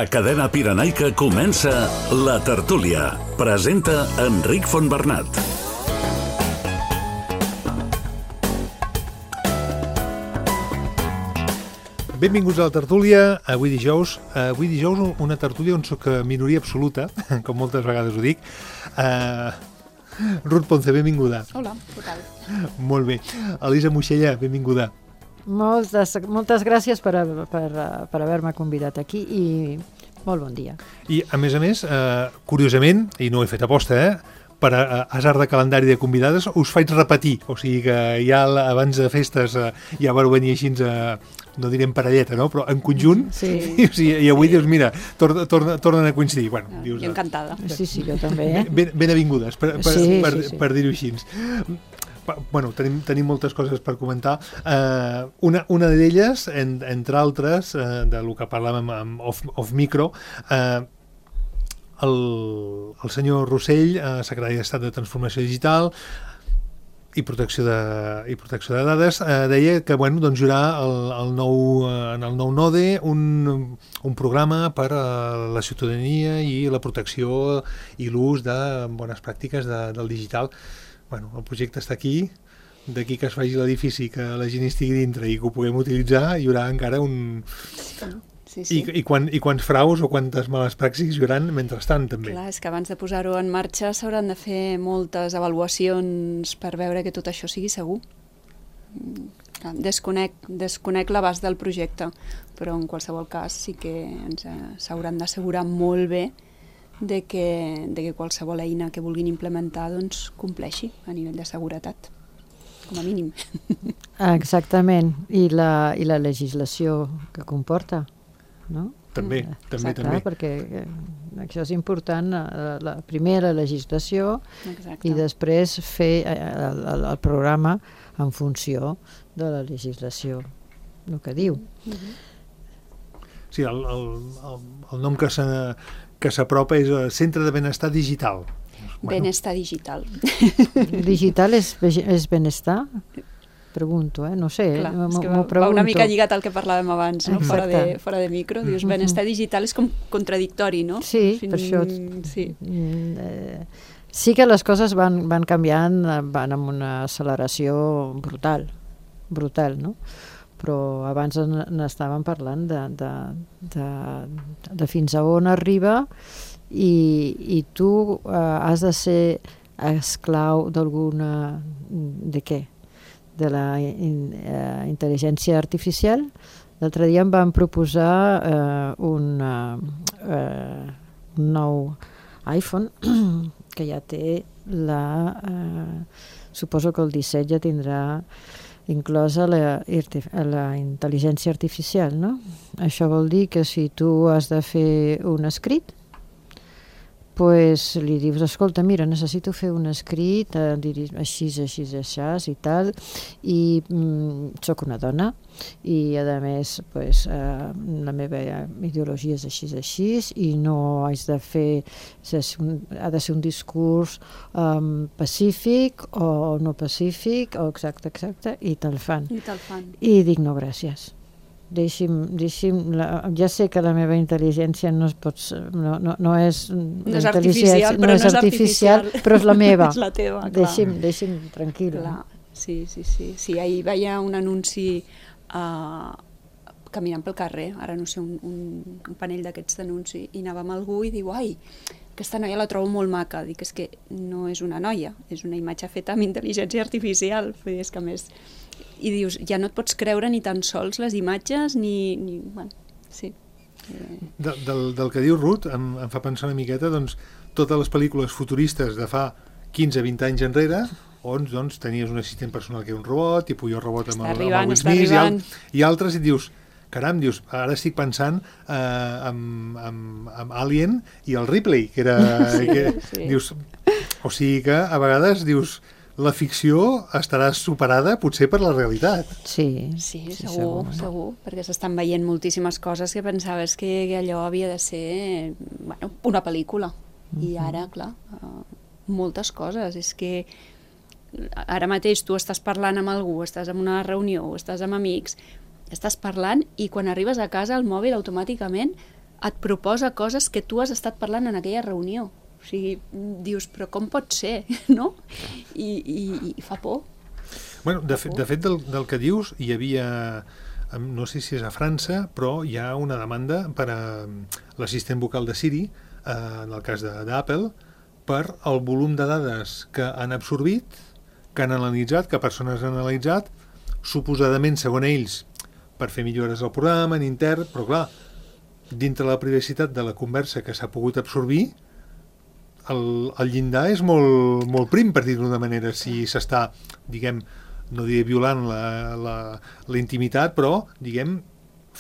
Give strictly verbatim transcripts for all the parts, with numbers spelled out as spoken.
A Cadena Pirenaica comença La Tertúlia. Presenta Enric Fontbernat. Benvinguts a La Tertúlia. Avui dijous, avui dijous una tertúlia on soc minoria absoluta, com moltes vegades ho dic. Uh, Ruth Ponce, benvinguda. Hola, què tal? Molt bé. Elisa Moixella, benvinguda. Moltes, moltes gràcies per, per, per haver-me convidat aquí i molt bon dia. I, a més a més, eh, curiosament, i no ho he fet aposta, eh, per a, a hasard de calendari de convidades, us faig repetir. O sigui que ja abans de festes eh, ja vau venir així, eh, no direm parelleta, no? Però en conjunt. Sí. I, o sigui, i avui sí. Dius, mira, tor torna, tornen a coincidir. Bueno, no, dius, jo encantada. Sí, sí, jo també. Eh? Ben, benvingudes, per, per, sí, per, sí, sí. per dir-ho així. Bueno, tenim, tenim moltes coses per comentar. Uh, una una d'elles, en, entre altres, uh, de lo que parlàvem amb off, off micro, uh, el, el senyor Rossell, uh, secretari d'Estat de Transformació Digital i protecció de, i protecció de dades, uh, deia que bueno, doncs, hi haurà el, el nou, uh, en el nou NODE un, un programa per a la ciutadania i la protecció i l'ús de bones pràctiques de, del digital. Bueno, el projecte està aquí, d'aquí que es faci l'edifici, que la gent estigui dintre i que ho puguem utilitzar, hi haurà encara un... Sí, sí. I, i, quan, i quants fraus o quantes males pràctiques hi haurà mentrestant, també. Clar, és que abans de posar-ho en marxa s'hauran de fer moltes avaluacions per veure que tot això sigui segur. Desconec, desconec l'abast del projecte, però en qualsevol cas sí que ens s'hauran d'assegurar molt bé de que, de que qualsevol eina que vulguin implementar doncs, compleixi a nivell de seguretat, com a mínim. Exactament, i la, i la legislació que comporta, no? També, Mm. també, Exacte, també. perquè eh, això és important, la, la primera legislació. Exacte. I després fer eh, el, el, el programa en funció de la legislació, el que diu. Mm-hmm. Sí, el, el, el, el nom que s'ha que s'apropa és el Centre de Benestar Digital. Bueno. Benestar digital. Digital és, és benestar? Pregunto, eh? No sé. Clar, és que m'ho va una mica lligat al que parlàvem abans, no? fora, de, fora de micro. Dius, Mm-hmm. benestar digital és com contradictori, no? Sí, Fin... per això... Sí. Mm, eh, sí que les coses van, van canviant, van amb una acceleració brutal, brutal, no? Però abans n'estàvem parlant de, de, de, de fins a on arriba i, i tu eh, has de ser esclau d'alguna... de què? De la in, eh, intel·ligència artificial. L'altre dia em van proposar eh, un, eh, un nou iPhone que ja té la... Eh, suposo que el disset ja tindrà inclosa la, la intel·ligència artificial, no? Això vol dir que si tu has de fer un escrit, pues li dius, escolta, mira, necessito fer un escrit, eh, així, així, així i tal, i mm, soc una dona, i a més, pues, eh, la meva ideologia és així, així, i no haig de fer, ha de ser un discurs um, pacífic o no pacífic, o exacte, exacte, i te'l fan. I te'l fan. I dic, no, gràcies. Deixi'm, deixi'm la, ja sé que la meva intel·ligència no, es pot, no, no, no és, no és artificial, però no és, artificial, artificial, però és la meva. És la teva, clar. Deixi'm, deixi'm tranquil·la. Clar. Sí, sí, sí, sí. Ahir veia un anunci uh, caminant pel carrer, ara no sé, un, un, un panell d'aquests d'anunci, i anava amb algú i diu, ai, aquesta noia la trobo molt maca. Dic, és que no és una noia, és una imatge feta amb intel·ligència artificial. És que a més... I dius, ja no et pots creure ni tan sols les imatges, ni... ni bueno, sí. De, del, del que diu Ruth em, em fa pensar una miqueta doncs, totes les pel·lícules futuristes de fa quinze vint anys enrere, on doncs, tenies un assistent personal que era un robot, tipus jo robot amb, el, arribant, amb el Will Smith, i, al, i altres, i dius, caram, dius, ara estic pensant eh, amb, amb, amb Alien i el Ripley, que era... Sí, que, sí. Dius, o sigui que a vegades dius... la ficció estarà superada potser per la realitat. Sí, sí, sí segur, segur, segur, perquè s'estan veient moltíssimes coses que pensaves que allò havia de ser bueno, una pel·lícula. Uh-huh. I ara, clar, uh, moltes coses. És que ara mateix tu estàs parlant amb algú, estàs en una reunió, estàs amb amics, estàs parlant i quan arribes a casa el mòbil automàticament et proposa coses que tu has estat parlant en aquella reunió. O sigui, dius, però com pot ser, no? I, i, i fa por. Bueno, de, fe, de fet, del, del que dius, hi havia, no sé si és a França, però hi ha una demanda per a l'assistent vocal de Siri, eh, en el cas d'Apple, per el volum de dades que han absorbit, que han analitzat, que persones han analitzat, suposadament, segons ells, per fer millores al programa, en intern, però clar, dintre la privacitat de la conversa que s'ha pogut absorbir, el, el llindar és molt, molt prim, per dir-ho d'una manera, si s'està, diguem, no diré violant la, la, la intimitat, però, diguem,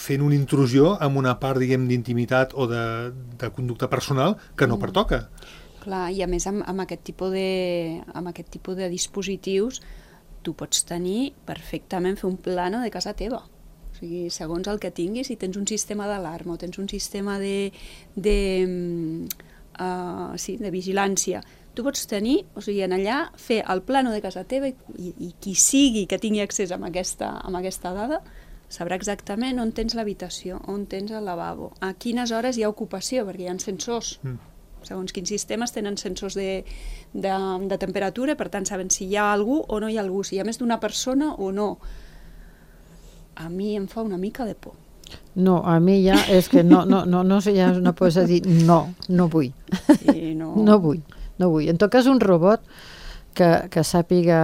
fent una intrusió amb una part, diguem, d'intimitat o de, de conducta personal que no Mm. pertoca. Clar, i a més amb, amb, aquest tipus de, amb aquest tipus de dispositius tu pots tenir perfectament, fer un plano de casa teva. O sigui, segons el que tinguis, si tens un sistema d'alarma o tens un sistema de, de, uh, sí, de vigilància, tu pots tenir, o sigui, en allà fer el plano de casa teva i, i, i qui sigui que tingui accés a aquesta, a aquesta dada sabrà exactament on tens l'habitació, on tens el lavabo, a quines hores hi ha ocupació, perquè hi ha sensors. Mm. Segons quins sistemes tenen sensors de, de, de temperatura, per tant saben si hi ha algú o no hi ha algú, si hi ha més d'una persona o no. A mi em fa una mica de por. No, a mi ja és que no, no, no, no sé, ja no pots dir no, no vull. Sí, no... no vull, no vull. En tot cas, un robot que, que sàpiga,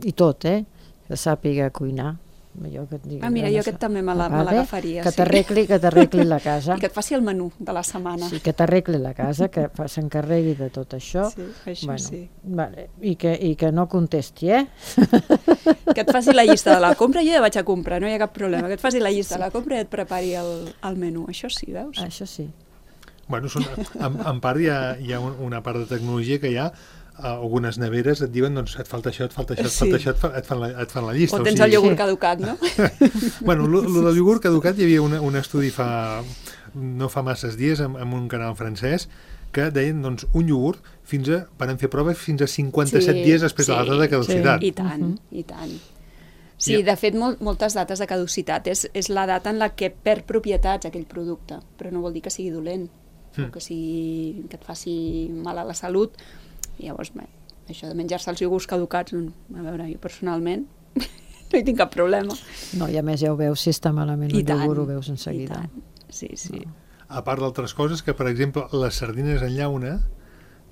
i tot, eh? Que sàpiga cuinar. Jo que et digui, Ah, mira, jo aquest també me l'agafaria. Que t'arregli que t'arregli la casa. I que et faci el menú de la setmana. Sí, que t'arregli la casa, que fa- s'encarregui de tot això. Sí, això sí. Vale. I, que, I que no contesti, eh? Que et faci la llista de la compra, jo ja vaig a comprar, no hi ha cap problema. Que et faci la llista de la compra i et prepari el, el menú. Això sí, veus? Això sí. Bueno, són, en, en part hi ha, hi ha un- una part de tecnologia que hi ha, algunes neveres et diuen, doncs, et falta això, et falta això, et Sí. falta això, et, fa, et, fan la, et fan la llista. O tens sigui, el iogurt Sí. caducat, no? Bueno, lo, lo del iogurt caducat hi havia una, un estudi fa, no fa masses dies en, en un canal francès que deien, doncs, un iogurt fins a, van fer proves fins a cinquanta-set Sí, dies després de la sí, data de caducitat. I tant, Mhm. i tant. Sí, de fet, mol, moltes dates de caducitat és, és la data en la que perd propietats aquell producte, però no vol dir que sigui dolent, Mm. o que, sigui, que et faci mal a la salut. I llavors, bé, això de menjar-se els iogurts caducats, a veure, jo personalment no hi tinc cap problema. No, i a més ja ho veus, si està malament I el tant, iogurt ho veus i enseguida. tant. Sí, sí. A part d'altres coses, que per exemple les sardines en llauna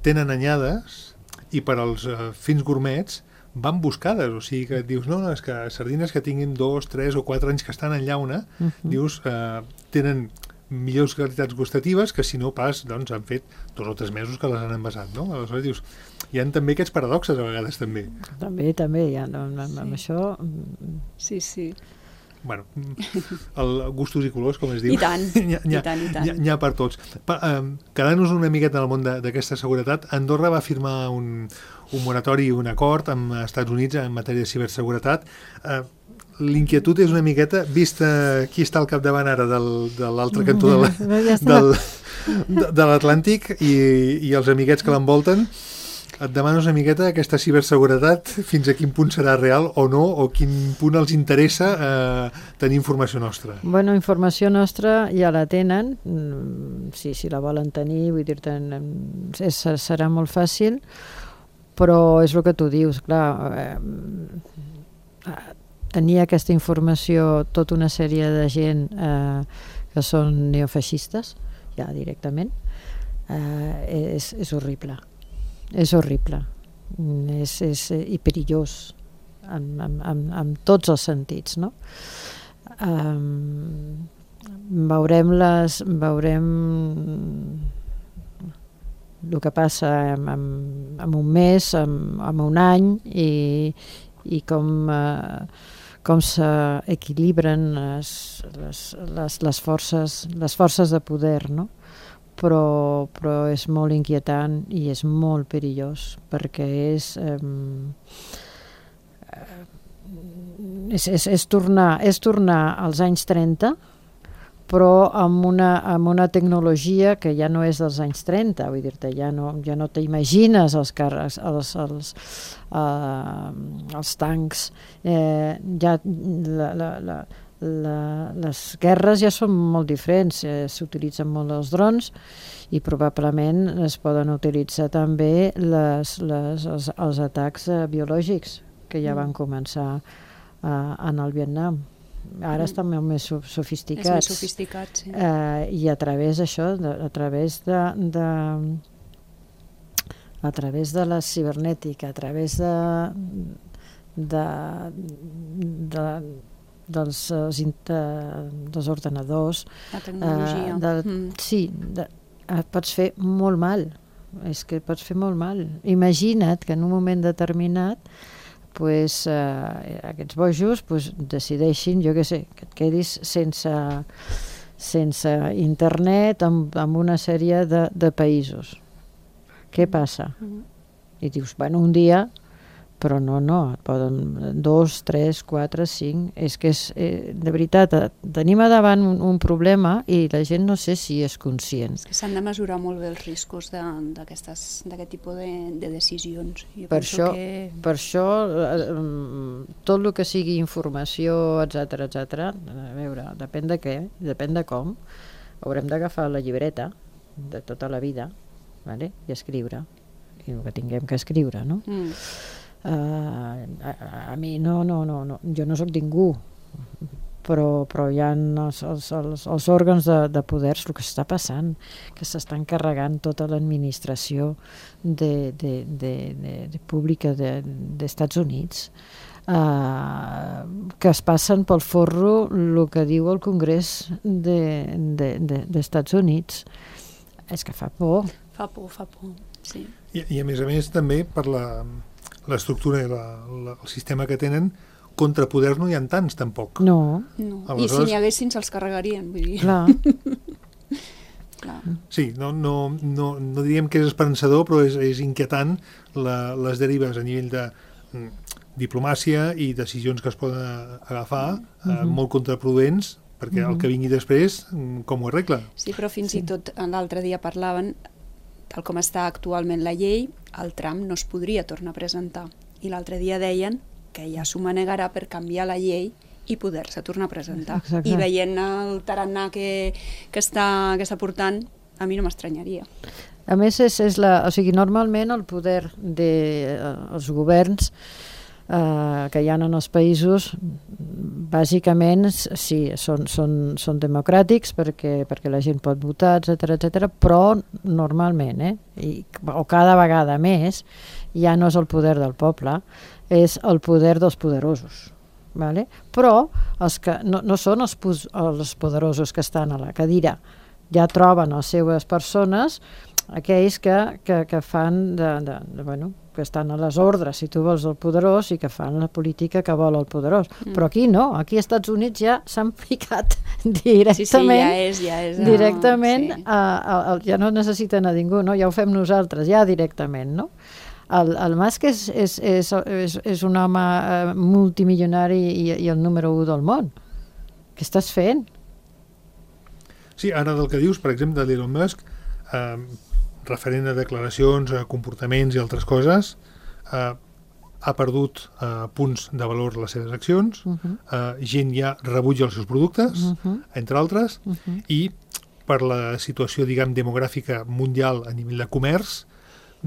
tenen anyades i per als uh, fins gourmets van buscades, o sigui que dius, no, no, és que sardines que tinguin dos, tres o quatre anys que estan en llauna, Uh -huh. dius, eh, tenen millors qualitats gustatives que si no pas, doncs, han fet dos o tres mesos que les han envasat, no? Aleshores dius, hi ha també aquests paradoxes a vegades també. També, també, ja, no, amb, amb Sí. això... mm, Sí, sí. Bueno, el gustos i colors, com es diu. I tant, N'hi ha- n'hi ha- i tant, i tant. N'hi ha, n'hi ha per tots. Pa, eh, quedant-nos una miqueta en el món de- d'aquesta seguretat, Andorra va firmar un, un moratori, un acord amb els Estats Units en matèria de ciberseguretat. Eh, L'inquietud és una miqueta, vista qui està al capdavant ara del, de l'altre cantó de la, Ja està. del, de, de l'Atlàntic i, i els amiguets que l'envolten, et demanes una miqueta aquesta ciberseguretat, fins a quin punt serà real o no, o quin punt els interessa eh, tenir informació nostra. Bueno, informació nostra ja la tenen, mm, sí, si la volen tenir, vull dir-te, mm, és, serà molt fàcil, però és el que tu dius, clar, eh, tenir aquesta informació tota una sèrie de gent eh, que són neofeixistes, ja directament, eh, és, és horrible. És horrible. Mm, És, és, i perillós en, en, en, en tots els sentits, no? Um, veurem les veurem el que passa en, en, en un mes, en, en un any i, i com uh, com s'equilibren les, les, les, les forces les forces de poder, no? Però, però és molt inquietant i és molt perillós perquè és um, és, és, és, tornar, és tornar als anys trenta però amb una, amb una tecnologia que ja no és dels anys trenta, vull dir-te, ja no, ja no t'imagines els càrrecs, els, els, uh, els tancs, eh, ja la, la, la, la, les guerres ja són molt diferents, eh, s'utilitzen molt els drons i probablement es poden utilitzar també les, les, els, els atacs eh, biològics que ja van començar eh, en el Vietnam. Ara mm. estan molt més sofisticats. És més sofisticat, sí. Eh, I a través d'això, a través de, de a través de la cibernètica, a través de, de, de dels, de, dels ordenadors, la tecnologia. Eh, de, mm. Sí, de, eh, pots fer molt mal. És que pots fer molt mal. Imagina't que en un moment determinat pues, eh, aquests bojos pues, decideixin, jo què sé, que et quedis sense, sense internet amb, amb una sèrie de, de països. Què passa? Mm. I dius, bueno, un dia, però no, no, poden dos, tres, quatre, cinc, és que és, eh, de veritat, tenim a davant un, un problema i la gent no sé si és conscient. És que s'han de mesurar molt bé els riscos d'aquest tipus de, de decisions. Jo per això, que... per això eh, tot el que sigui informació, etcètera, etcètera, a veure, depèn de què, depèn de com, haurem d'agafar la llibreta de tota la vida, vale? I escriure, i el que tinguem que escriure, no? Mm. Uh, a, a mi no, no, no, no, jo no sóc ningú, però, però hi ha els, els, els, els òrgans de, de poders, el que està passant, que s'estan carregant tota l'administració de, de, de, de, de pública d'Estats de, Units, uh, que es passen pel forro el que diu el Congrés d'Estats de, de, de, Units. És que fa por. Fa por, fa por, sí. I, i a més a més també per la, l'estructura i la, la, el sistema que tenen, contrapoders no hi ha tants tampoc. No. no. Aleshores... I si n'hi haguessin se'ls carregarien, vull dir. Clar. Clar. Sí, no, no, no, no diríem que és esperançador, però és, és inquietant la, les derives a nivell de mm, diplomàcia i decisions que es poden agafar, mm-hmm. eh, molt contraproduents, perquè mm-hmm. el que vingui després, com ho arregla? Sí, però fins sí. i tot l'altre dia parlaven, tal com està actualment la llei, el tram no es podria tornar a presentar. I l'altre dia deien que ja s'ho manegarà per canviar la llei i poder-se tornar a presentar. Exacte. I veient el tarannà que, que, està, que està portant, a mi no m'estranyaria. A més, és, és la, o sigui, normalment el poder dels de, governs Uh, que hi ha en els països bàsicament sí, són, són, són democràtics perquè, perquè la gent pot votar, etcètera, etcètera, però normalment, eh, i, o cada vegada més, ja no és el poder del poble, és el poder dels poderosos. Vale? Però els que no, no són els, els poderosos que estan a la cadira, ja troben les seves persones, aquells que, que, que fan de, de, de, bueno, que estan a les ordres, si tu vols el poderós, i que fan la política que vol el poderós. Mm. Però aquí no, aquí als Estats Units ja s'han ficat directament, sí, sí, ja és, ja és, directament, no, sí. a, a, a, ja no necessiten a ningú, no? Ja ho fem nosaltres, ja directament, no? El, el Musk és, és, és, és, és un home eh, multimilionari i, i el número u del món. Què estàs fent? Sí, ara del que dius, per exemple, de l'Elon Musk, eh, referent a declaracions, a comportaments i altres coses, eh, ha perdut eh, punts de valor les seves accions, uh-huh. eh, gent ja rebutja els seus productes, uh-huh. entre altres, uh-huh. i per la situació, diguem, demogràfica mundial a nivell de comerç,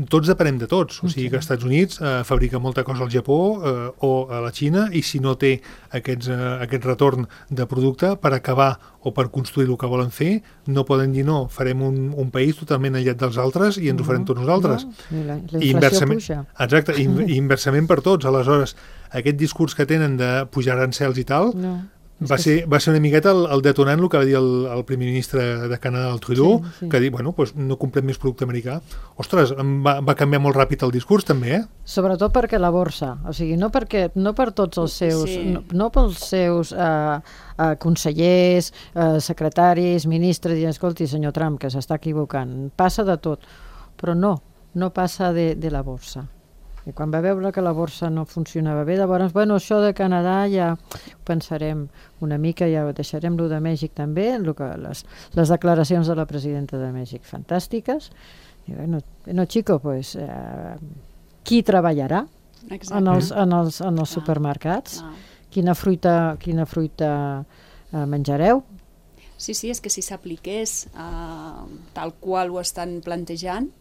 tots depenem de tots, o sigui que als Estats Units eh, fabrica molta cosa al Japó eh, o a la Xina, i si no té aquests, eh, aquest retorn de producte per acabar o per construir el que volen fer, no poden dir no, farem un, un país totalment aïllat dels altres i ens ho farem tots nosaltres. No, la, la inflació puja. Exacte, i, i inversament per tots. Aleshores, aquest discurs que tenen de pujar arancels i tal, no. Va ser, va ser una miqueta el, el detonant el que va dir el, el primer ministre de Canadà, el Trudeau, sí, sí. que ha dit, bueno, pues no comprem més producte americà. Ostres, va, va canviar molt ràpid el discurs, també, eh? Sobretot perquè la borsa, o sigui, no, perquè, no per tots els seus, sí. no, no pels seus eh, eh, consellers, eh, secretaris, ministres, i escolti, senyor Trump, que s'està equivocant, passa de tot, però no, no passa de, de la borsa. I quan va veure que la borsa no funcionava bé, llavors, bueno, això de Canadà ja ho pensarem una mica, ja ho deixarem, lo de Mèxic també, lo que, les, les declaracions de la presidenta de Mèxic fantàstiques. I bueno, no, chico, pues, eh, qui treballarà en els, en els, en els supermercats? quina fruita, quina fruita eh, menjareu? Sí, sí, és que si s'apliqués uh, tal qual ho estan plantejant,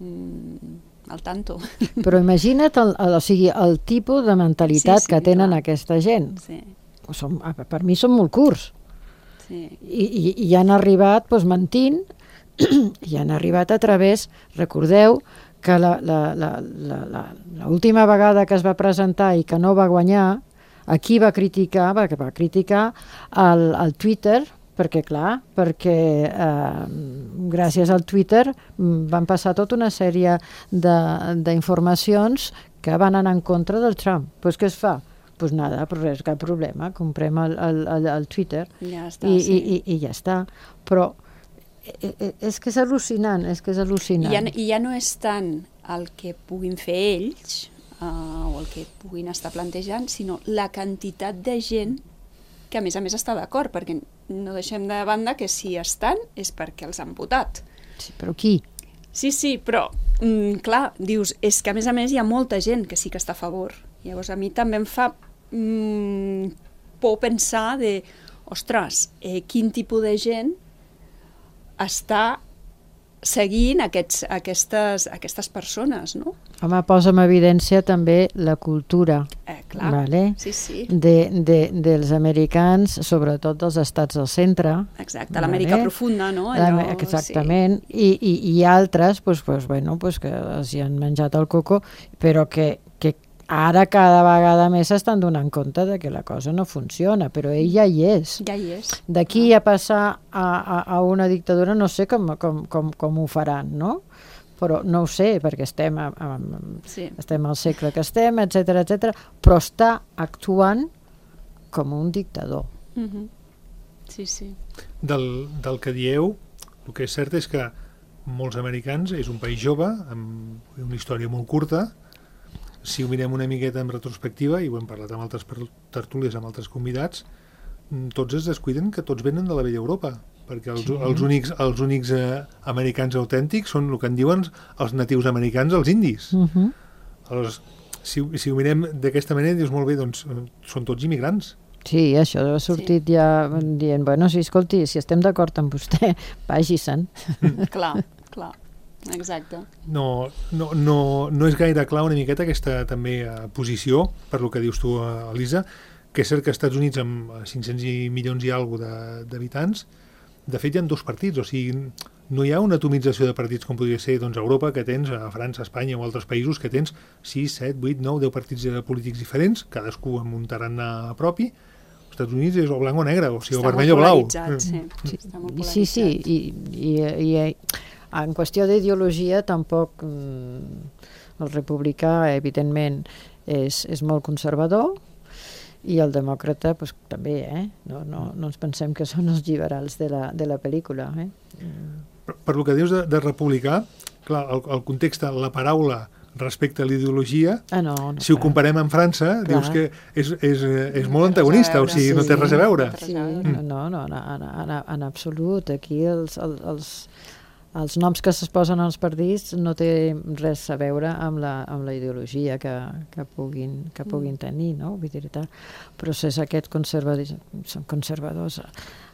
mm, al tanto. Però imagina't el, el, o sigui, el tipus de mentalitat sí, sí, que tenen clar. Aquesta gent. Sí. Som, per mi són molt curts. Sí. I, i, i han arribat doncs, mentint, i han arribat a través, recordeu que la, la, la, la, la, la última vegada que es va presentar i que no va guanyar, aquí va criticar, va, va criticar el, el Twitter, perquè clar, perquè eh, gràcies al Twitter van passar tota una sèrie d'informacions que van anar en contra del Trump. Doncs pues què es fa? Doncs pues nada, però res, cap problema, comprem el, el, el, el Twitter ja està, i, sí. i, i, i ja està. Però és que és al·lucinant, és que és al·lucinant. I ja, i ja no és tant el que puguin fer ells uh, o el que puguin estar plantejant, sinó la quantitat de gent que a més a més està d'acord, perquè no deixem de banda que si estan és perquè els han votat. Sí, però qui? Sí, sí, però, mm, clar, dius, és que a més a més hi ha molta gent que sí que està a favor. Llavors a mi també em fa mm, por pensar de, ostres, eh, quin tipus de gent està seguint aquests, aquestes, aquestes persones, no? Home, posa en evidència també la cultura, eh, clar. Vale? Sí, sí. De, de, dels americans, sobretot dels estats del centre. Exacte, l'Amèrica vale? Profunda, no? Allò, exactament, sí. I, i, i altres pues, pues, bueno, pues, que els hi han menjat el coco, però que, que ara cada vegada més s'estan donant compte de que la cosa no funciona, però ell ja hi és. Ja hi és. D'aquí ah. a passar a, a, a una dictadura no sé com, com, com, com ho faran, no? Però no ho sé, perquè estem, a, a, sí. estem al segle que estem, etcètera, etcètera, però està actuant com un dictador. Mm-hmm. Sí, sí. Del, del que dieu, el que és cert és que molts americans és un país jove, amb una història molt curta. Si ho mirem una miqueta en retrospectiva, i ho hem parlat amb altres tertúlies, amb altres convidats, tots es descuiden que tots venen de la vella Europa, perquè els, sí. els únics, els únics eh, americans autèntics són el que en diuen els natius americans, els indis. Uh-huh. Aleshores, si, si ho mirem d'aquesta manera, dius molt bé, doncs són tots immigrants. Sí, això ha sortit sí. ja dient, bueno, sí, escolti, si estem d'acord amb vostè, vagi-se'n. Mm. Clar, clar. Exacte. No, no, no, no és gaire clar una miqueta aquesta també eh, posició, per lo que dius tu, eh, Elisa, que és cert que als Estats Units amb cinc-cents milions i alguna d'habitants, de fet hi ha dos partits, o sigui, no hi ha una atomització de partits com podria ser doncs, a Europa, que tens a França, a Espanya o altres països, que tens sis, set, vuit, nou, deu partits polítics diferents, cadascú amb un tarannà propi. Als Estats Units és o blanc o negre, o sigui, o vermell o blau. Sí, sí, està molt polaritzat. Sí, sí, i, i, i en qüestió d'ideologia tampoc mm, el republicà evidentment és, és molt conservador i el demòcrata pues, també, eh? no, no, no ens pensem que són els liberals de la, de la pel·lícula. Eh? Per, per el que dius de, de republicà, clar, el, el context, la paraula respecte a l'ideologia, ah, no, no, si ho comparem amb França, clar. Dius que és, és, és molt antagonista, o sigui, sí, no té res a veure. Sí, mm. no, no, en, en, en absolut. Aquí els... els els noms que es posen als partits no té res a veure amb la, amb la ideologia que, que, puguin, que puguin tenir, no? Vull dir, però és aquest conservadors, són conservadors a,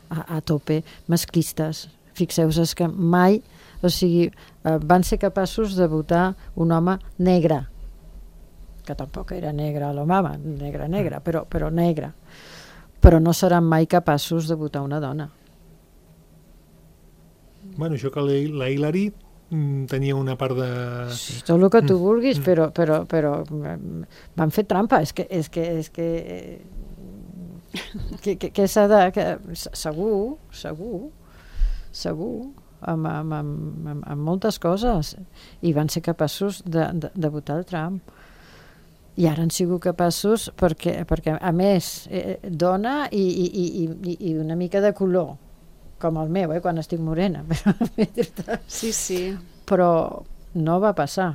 a, a tope, masclistes. Fixeu-vos que mai, o sigui, van ser capaços de votar un home negre, que tampoc era negre l'home, negre, negre, però, però negre. Però no seran mai capaços de votar una dona. Bueno, això que la Hillary mm, tenia una part de... Sí, tot el que tu vulguis, mm. però, però, però van fer trampa, és que... És que, és que, que, que, que s'ha de... Que, segur, segur, segur, amb, amb, amb, amb, amb moltes coses, i van ser capaços de, de, de votar el Trump. I ara han sigut capaços perquè, perquè a més, eh, dona i, i, i, i una mica de color, com el meu, eh, quan estic morena. Sí, sí. Però no va passar.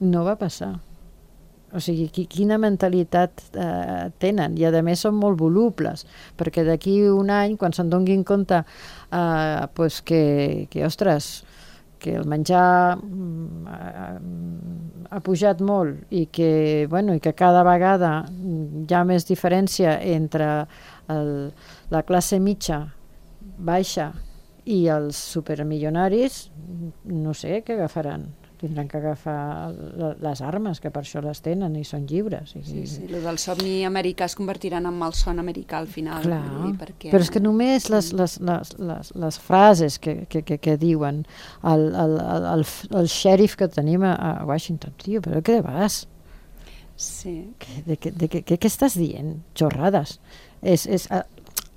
No va passar. O sigui, quina mentalitat eh, tenen. I a més són molt volubles, perquè d'aquí un any, quan se'n donguin compte eh, pues que, que, ostres, que el menjar ha, ha pujat molt i que, bueno, i que cada vegada hi ha més diferència entre el, la classe mitja, baixa i els supermilionaris, no sé què agafaran. Tindran que agafar les armes, que per això les tenen i són lliures. Sí, sí, el del somni americà es convertiran en malson americà al final. Clar, dir, perquè... però és que només les, les, les, les, les frases que, que, que, que diuen el, el, el, el xèrif que tenim a Washington, tio, però què vas? Sí. De, de, de, de, què estàs dient? Xorrades. És, és,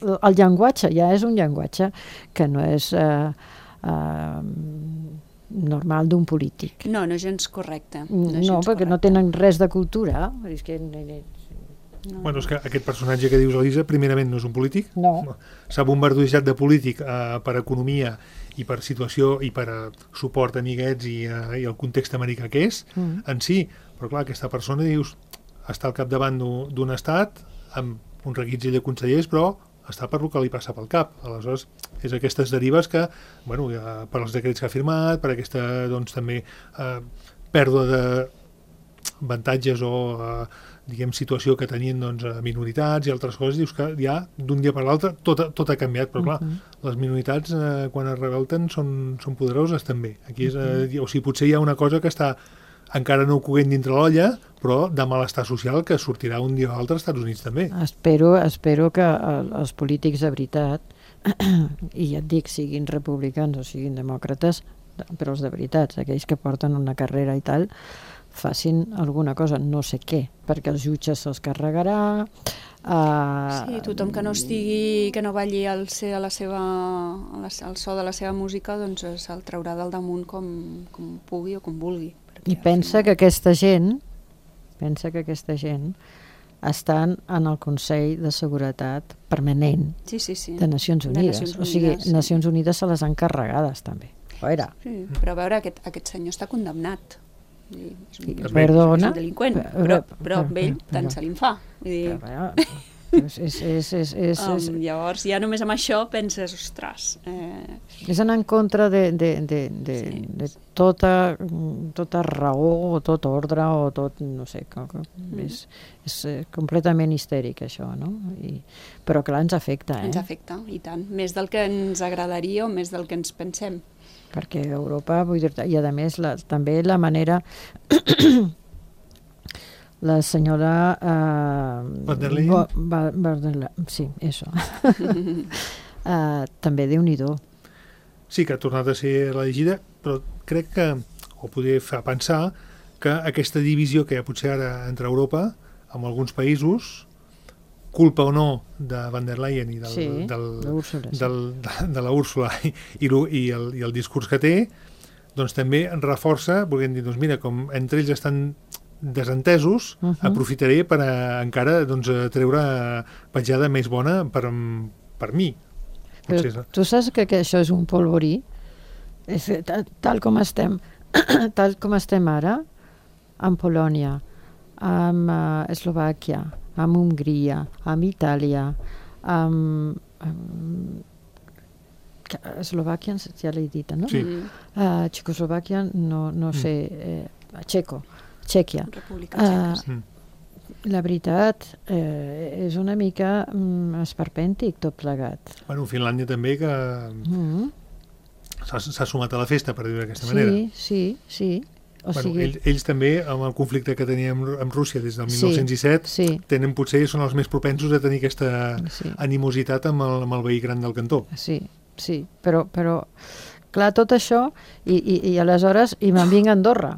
el llenguatge ja és un llenguatge que no és... Uh, uh, normal d'un polític. No, no és gens correcte. No, no, no perquè correcte. No tenen res de cultura. És que... No, bueno, és que aquest personatge que dius, Elisa, primerament no és un polític. No. S'ha bombardejat de polític eh, per economia i per situació i per uh, suport a amiguets i, uh, i el context americà que és, mm. en si. Però clar, aquesta persona, dius, està al capdavant d'un estat amb un reguitzell de consellers, però està per el que li passa pel cap. Aleshores, és aquestes derives que, bueno, per als decrets que ha firmat, per aquesta, doncs, també eh, pèrdua de avantatges o, eh, diguem, situació que tenien, doncs, minoritats i altres coses, dius que ja, d'un dia per l'altre, tot, tot ha canviat, però clar, uh-huh. les minoritats, eh, quan es revolten, són, són poderoses també. Aquí és, eh, o sigui, potser hi ha una cosa que està encara no coguent dintre l'olla, però de malestar social que sortirà un dia o altre als Estats Units també. Espero, espero que els polítics de veritat, i ja et dic, siguin republicans o siguin demòcrates, però els de veritat, aquells que porten una carrera i tal, facin alguna cosa, no sé què, perquè els jutges se'ls carregarà... Uh... Sí, tothom que no estigui, que no balli al ser a la seva, al so de la seva música, doncs se'l traurà del damunt com, com pugui o com vulgui. I pensa que aquesta gent, pensa que aquesta gent estan en el Consell de Seguretat Permanent sí, sí, sí. de Nacions Unides. De Nacions Unides. O sigui, sí. Nacions Unides se les han carregades també. Veure. Sí, però a veure, aquest, aquest senyor està condemnat. I, és un, és Perdona. És un delinqüent, però, però amb ell tant se li en fa. Vull dir... Però, és, és, és, és, és, um, llavors, ja només amb això penses, ostres... Eh... És anar en contra de, de, de, de, sí, de tota, tota raó o tot ordre o tot, no sé, mm. és, és completament histèric això, no? I, però clar, ens afecta, eh? Ens afecta, i tant. Més del que ens agradaria o més del que ens pensem. Perquè Europa, vull dir, i a més la, també la manera... La senyora... Uh, Van der Leyen? Va, va, va, sí, això. uh, també Déu-n'hi-do. Sí, que ha tornat a ser elegida, però crec que, o podria fer pensar, que aquesta divisió que hi ha potser ara entre Europa, amb alguns països, culpa o no de Van der Leyen i del, sí, del, Úrsula, sí. del, de, de la Úrsula i, i, i, el, i el discurs que té, doncs també reforça, volguem dir, doncs mira, com entre ells estan desentesos, uh-huh. aprofitaré per a, encara doncs, a treure petjada més bona per, per mi. Potser. Però tu saps que, que això és un polvorí? És, tal, tal com estem tal com estem ara amb Polònia, amb uh, Eslovàquia, amb Hongria, amb Itàlia, amb, amb Eslovàquia ja l'he dit, no? Sí. Uh, Txecoslovàquia no, no mm. sé, eh, Txeco Txèquia. República Txeca, uh, sí. La veritat, eh, és una mica mm, esperpèntic tot plegat. Bueno, Finlàndia també, que mm. s'ha sumat a la festa, per dir-ho d'aquesta sí, manera. Sí, sí, o bueno, sigui... ells, ells també, amb el conflicte que teníem amb, amb Rússia des del mil nou-cents disset, sí, sí. tenen, potser són els més propensos a tenir aquesta sí. animositat amb el, amb el veí gran del cantó. Sí, sí, però, però clar, tot això, i, i, i aleshores, i me'n vinc a Andorra.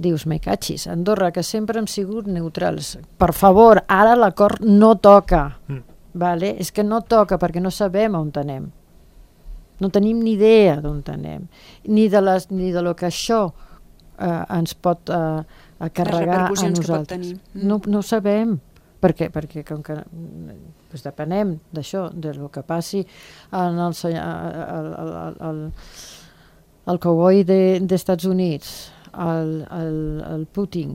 Dius, me catxis, Andorra, que sempre hem sigut neutrals. Per favor, ara l'acord no toca. Mm. Vale? És que no toca perquè no sabem on anem. No tenim ni idea d'on anem. Ni de, les, ni de lo que això eh, ens pot eh, carregar a nosaltres. Mm. No, no sabem. Per què? Perquè com que pues, depenem d'això, de lo que passi en el, el, el, el, el cowboy de, d'Estats Units, el, el, el Putin,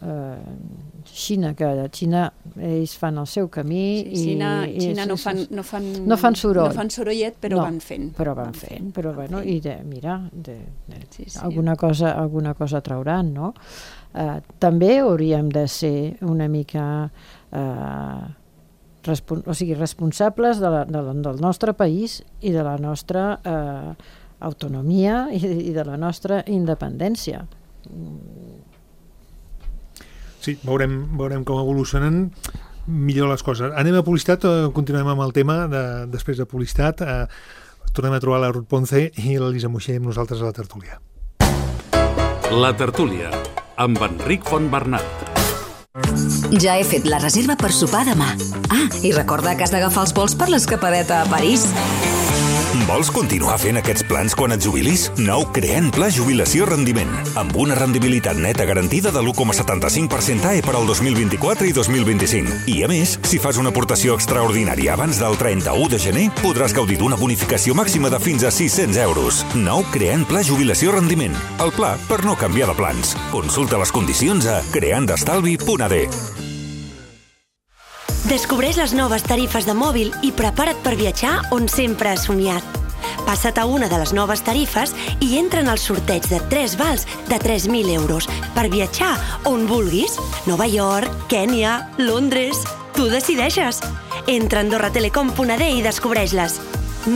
eh, Xina, que a Xina ells fan el seu camí. Sí, Xina, i, Xina i, no, fan, no, fan, no fan soroll. No fan sorollet, però no, van fent. Però van fent, però van bueno, fent. i de, mira, de, de, Sí, sí. alguna cosa, alguna cosa trauran, no? Eh, també hauríem de ser una mica eh, respon o sigui, responsables de la, de la, del nostre país i de la nostra eh, autonomia i, i de la nostra independència. Sí, veurem, veurem com evolucionen millor les coses. Anem a publicitat, eh, continuem amb el tema de, després de publicitat. Eh, tornem a trobar la Ruth Ponce i l'Elisa Moixer amb nosaltres a la tertúlia. La tertúlia, amb Enric Fontbernat. Ja he fet la reserva per sopar demà. Ah, i recorda que has d'agafar els vols per l'escapadeta a París. Vols continuar fent aquests plans quan et jubilis? Nou Creant Pla Jubilació Rendiment, amb una rendibilitat neta garantida de l'u coma setanta-cinc per cent A E per al dos mil vint-i-quatre i dos mil vint-i-cinc. I a més, si fas una aportació extraordinària abans del trenta-u de gener, podràs gaudir d'una bonificació màxima de fins a sis-cents euros. Nou Creant Pla Jubilació Rendiment, el pla per no canviar de plans. Consulta les condicions a creandestalvi punt a d. Descobreix les noves tarifes de mòbil i prepara't per viatjar on sempre has somiat. Passa't a una de les noves tarifes i entra en el sorteig de tres vals de tres mil euros per viatjar on vulguis. Nova York, Kènia, Londres... Tu decideixes. Entra a andorra telecom punt a d i descobreix-les.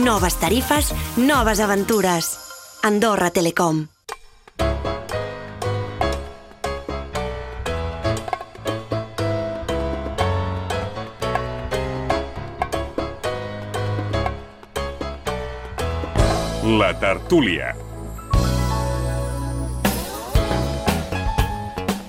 Noves tarifes, noves aventures. Andorra Telecom. La tertúlia.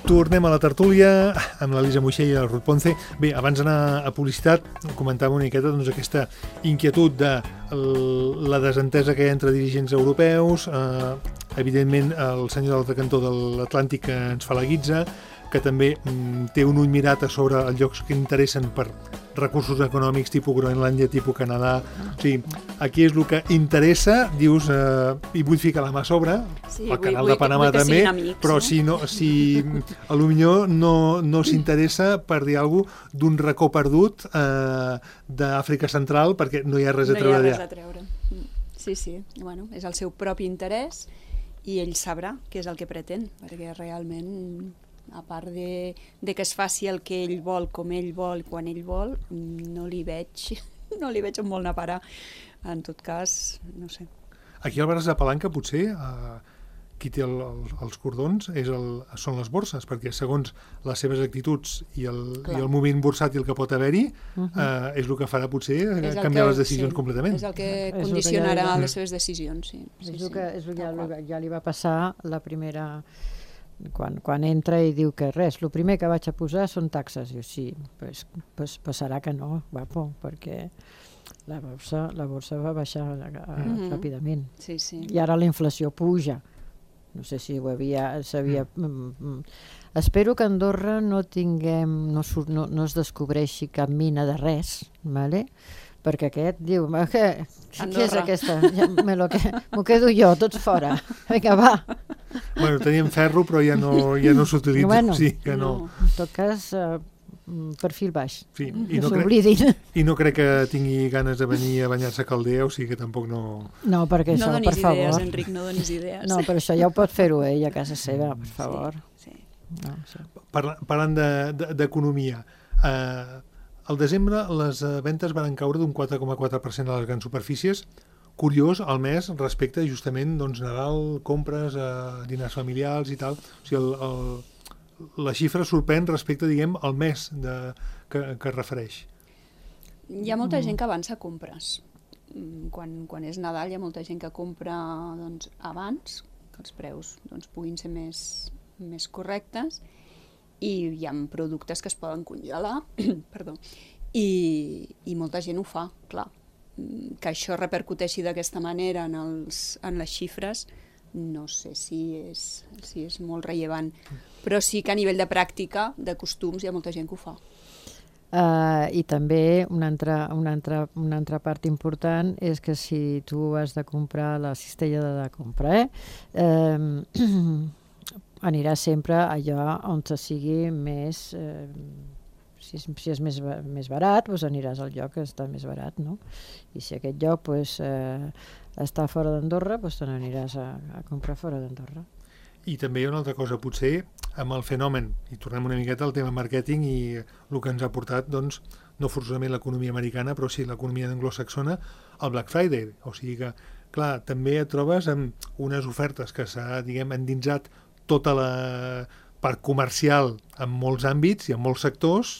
Tornem a la tertúlia amb l'Elisa Moixer i la Ruth Ponce. Bé, abans d'anar a publicitat, comentàvem una miqueta doncs, aquesta inquietud de la desentesa que hi ha entre dirigents europeus, eh, evidentment el senyor de l'altre cantó de l'Atlàntic que ens fa la guitza, que també mm, té un ull mirat a sobre els llocs que interessen per recursos econòmics tipus Groenlàndia, tipus Canadà. O sigui, aquí és el que interessa, dius, eh, i vull ficar la mà a sobre, sí, el vull, canal vull, de Panamà també, amics, però no? si, no, si a lo millor no, no s'interessa per dir alguna cosa d'un racó perdut eh, d'Àfrica Central perquè no hi ha res a treure allà. No hi ha res a treure. Sí, sí, bueno, és el seu propi interès i ell sabrà què és el que pretén, perquè realment, a part de, de que es faci el que ell vol, com ell vol, quan ell vol, no li veig, no li veig on vol anar a parar. En tot cas, no sé. Aquí al Braç de Palanca, potser, eh, qui té el, el, els cordons és el, són les borses, perquè segons les seves actituds i el, i el moviment bursàtil que pot haver-hi, uh -huh. eh, és el que farà potser canviar que, les decisions sí, completament. És el que és condicionarà el que ja les seves decisions, sí. sí, és el sí, que, és el que ja, ja li va passar la primera... Quan, quan entra i diu que res, el primer que vaig a posar són taxes. Diu, sí, pues, pues passarà que no, guapo, perquè la borsa, la borsa va baixar a, a, mm-hmm. ràpidament. Sí, sí. I ara la inflació puja. No sé si ho havia... Sabia, mm. Mm, espero que a Andorra no tinguem, no, no, no es descobreixi cap mina de res, ¿vale? Perquè aquest diu, què, què és aquesta? Ja, me lo que, m'ho quedo jo, tots fora. Vinga, va. Bueno, teníem ferro, però ja no, ja no s'utilitza. Bueno, sí, que no. En tot cas, uh, perfil baix. Sí, i, i, no crec, I no crec que tingui ganes de venir a banyar-se a Caldea, o sigui que tampoc no... No, perquè això, no per favor... No donis idees, Enric, no donis idees. No, però això ja ho pot fer-ho ell a casa seva, per favor. Sí, sí. No, sí. Parla, parlant d'economia, de, de, eh, al desembre les ventes van caure d'un quatre coma quatre per cent a les grans superfícies. Curiós, al mes, respecte justament doncs, Nadal, compres, eh, dinars familiars i tal. O sigui, el, el, la xifra sorprèn respecte, diguem, al mes de, que, que es refereix. Hi ha molta gent que avança compres. Quan, quan és Nadal hi ha molta gent que compra doncs, abans, que els preus doncs, puguin ser més, més correctes, i hi ha productes que es poden congelar, perdó, i, i molta gent ho fa, clar. Que això repercuteixi d'aquesta manera en, els, en les xifres, no sé si és, si és molt rellevant, però sí que a nivell de pràctica, de costums, hi ha molta gent que ho fa. Uh, I també una altra, una, altra, una altra part important és que si tu has de comprar la cistella de la compra, eh? Uh, aniràs sempre allà on te sigui més... Eh, si és, si és més, més barat, doncs aniràs al lloc que està més barat, no? I si aquest lloc doncs, eh, està fora d'Andorra, doncs te n'aniràs a, a comprar fora d'Andorra. I també hi ha una altra cosa, potser amb el fenomen, i tornem una miqueta al tema màrqueting i el que ens ha portat, doncs, no forçosament l'economia americana, però sí l'economia anglosaxona, el Black Friday. O sigui que, clar, també et trobes amb unes ofertes que s'ha, diguem, endinsat tota la part comercial en molts àmbits i en molts sectors,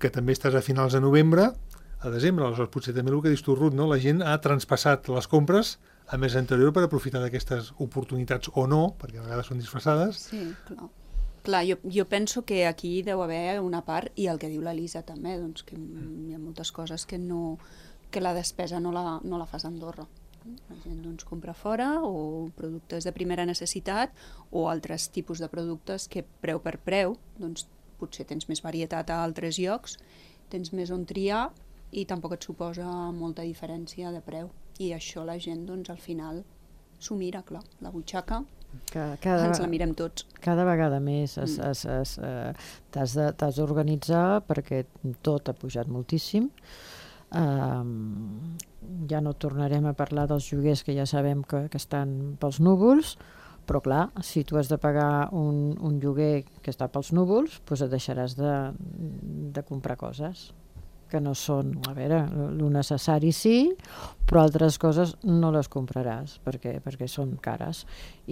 que també estàs a finals de novembre, a desembre, aleshores potser també el que dius tu, Ruth, no? La gent ha traspassat les compres a mes anterior per aprofitar d'aquestes oportunitats o no, perquè a vegades són disfressades. Sí, clar. Clar, jo, jo penso que aquí deu haver una part, i el que diu l'Elisa també, doncs que hi ha moltes coses que, no, que la despesa no la, no la fas a Andorra. La gent doncs, compra fora, o productes de primera necessitat, o altres tipus de productes que preu per preu, doncs potser tens més varietat a altres llocs, tens més on triar i tampoc et suposa molta diferència de preu. I això la gent, doncs, al final s'ho mira, clar, la butxaca, cada, cada, ens la mirem tots. Cada vegada més es, mm. es, es, eh, t'has de, t'has d'organitzar perquè tot ha pujat moltíssim. Um, ja no tornarem a parlar dels lloguers que ja sabem que, que estan pels núvols, però clar, si tu has de pagar un, un lloguer que està pels núvols, doncs et deixaràs de, de comprar coses que no són, a veure, el necessari sí, però altres coses no les compraràs perquè, perquè són cares.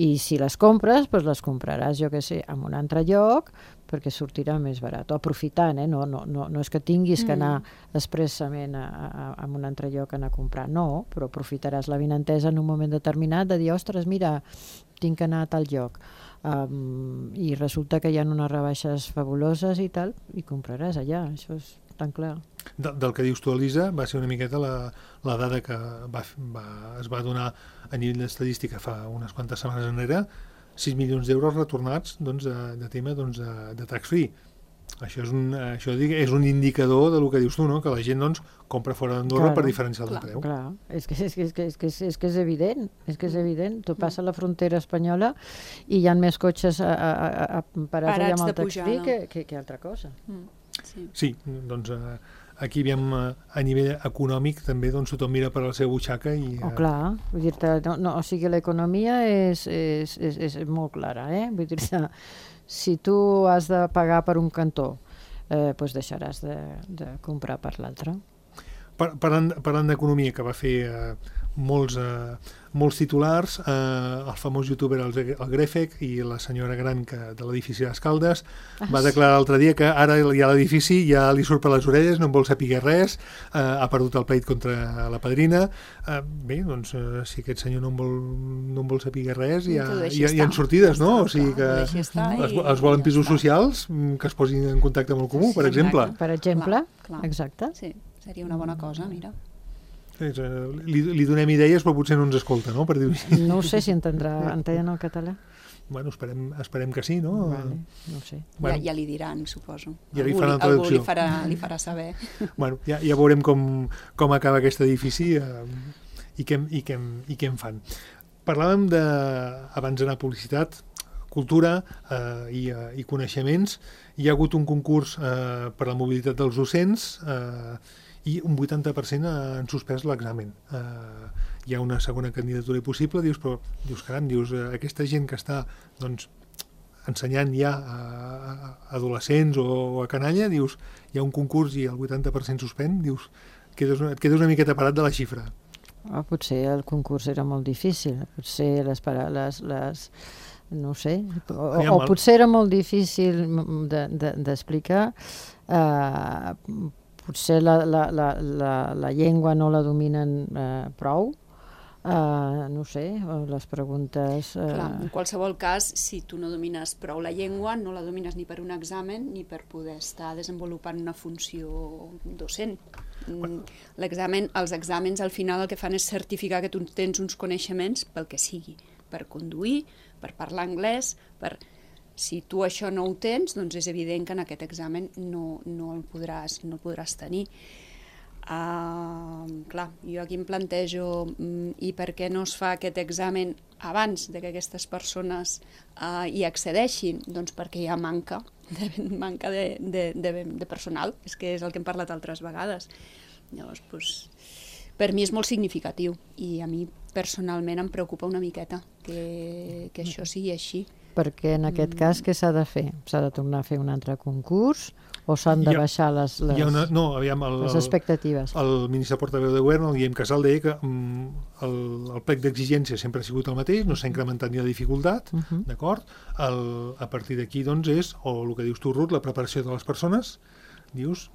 I si les compres, doncs les compraràs, jo què sé, en un altre lloc, perquè sortirà més barat. O aprofitant, eh? No, no, no, no és que tinguis mm. que anar expressament a, a, a un altre lloc a anar a comprar, no, però aprofitaràs la vinentesa en un moment determinat de dir, ostres, mira, tinc que anar a tal lloc. Um, I resulta que hi ha unes rebaixes fabuloses i tal, i compraràs allà, això és tan clar. De, del que dius tu, Elisa, va ser una miqueta la, la dada que va, va, es va donar a nivell d'estadística fa unes quantes setmanes enrere, sis milions d'euros retornats doncs, de, de tema doncs, de, de tax-free. Això, és un, això és un indicador del que dius tu, no? Que la gent doncs, compra fora d'Andorra per diferencial de preu. Clar, és que és, que, és, que, és, que, és, és, que és evident, és que és evident. Tu passa la frontera espanyola i hi ha més cotxes a, a, a, a parats, parats allà amb el tax-free que, que, que altra cosa. Mm. Sí. sí, doncs eh, aquí veiem eh, a nivell econòmic també doncs tothom mira per la seva butxaca i... Eh... Oh, clar, vull dir-te, no, no, o sigui, l'economia és, és, és, és molt clara, eh? Vull dir-te, si tu has de pagar per un cantó, eh, doncs deixaràs de, de comprar per l'altre. Par parlant parlant d'economia, que va fer eh, molts, eh, molts titulars, eh, el famós youtuber el, el Grefec i la senyora gran que, de l'edifici d'Escaldes ah, va declarar l'altre dia que ara ja l'edifici ja li surt per les orelles, no en vol saber res, eh, ha perdut el pleit contra la padrina. Eh, bé, doncs, eh, si aquest senyor no en vol, no en vol saber res, hi ha, hi ha, hi ha sortides, no? O sigui que es, es volen pisos socials que es posin en contacte amb el comú, per exemple. Per exemple, clar, clar. Exacte. Sí. Seria una bona cosa, mira. Li, li donem idees, però potser no ens escolta, no? Per dir-ho així. No ho sé si entendrà, entén el català. Bueno, esperem, esperem que sí, no? Vale, no ho sé. Bueno, ja, ja li diran, suposo. Ja li algú, faran traducció. Algú li farà, li farà saber. Bueno, ja, ja veurem com, com acaba aquest edifici eh, i, què, i, què, i què en fan. Parlàvem de, abans d'anar a publicitat, cultura eh, i, eh, i coneixements. Hi ha hagut un concurs eh, per la mobilitat dels docents eh, i un vuitanta per cent han suspès l'examen. Eh, hi ha una segona candidatura possible, dius, però dius, caram, dius, eh, aquesta gent que està doncs, ensenyant ja a, a adolescents o, o a canalla, dius, hi ha un concurs i el vuitanta per cent suspèn, dius, quedes una, et quedes una miqueta parat de la xifra. Oh, potser el concurs era molt difícil, potser les, les, les no ho sé, o, o potser era molt difícil d'explicar, de, de, eh, potser la, la, la, la, la llengua no la dominen eh, prou, eh, no sé, les preguntes... Eh... Clar, en qualsevol cas, si tu no domines prou la llengua, no la domines ni per un examen ni per poder estar desenvolupant una funció docent. L'examen, els exàmens al final el que fan és certificar que tu tens uns coneixements pel que sigui, per conduir, per parlar anglès, per... Si tu això no ho tens, doncs és evident que en aquest examen no, no, el, podràs, no el podràs tenir. Uh, clar, jo aquí em plantejo um, i per què no es fa aquest examen abans de que aquestes persones uh, hi accedeixin? Doncs perquè hi ha manca, de, manca de, de, de, de personal, és que és el que hem parlat altres vegades. Llavors, doncs, per mi és molt significatiu i a mi personalment em preocupa una miqueta que, que això sigui així. Perquè en aquest cas què s'ha de fer? S'ha de tornar a fer un altre concurs o s'han de baixar les, les, una, no, aviam, el, les expectatives? El, el ministre portaveu de govern, el Guillem Casal, deia que um, el, el plec d'exigència sempre ha sigut el mateix, no s'ha incrementat ni la dificultat, uh -huh. d'acord? El, a partir d'aquí, doncs, és, o el que dius tu, Ruth, la preparació de les persones, dius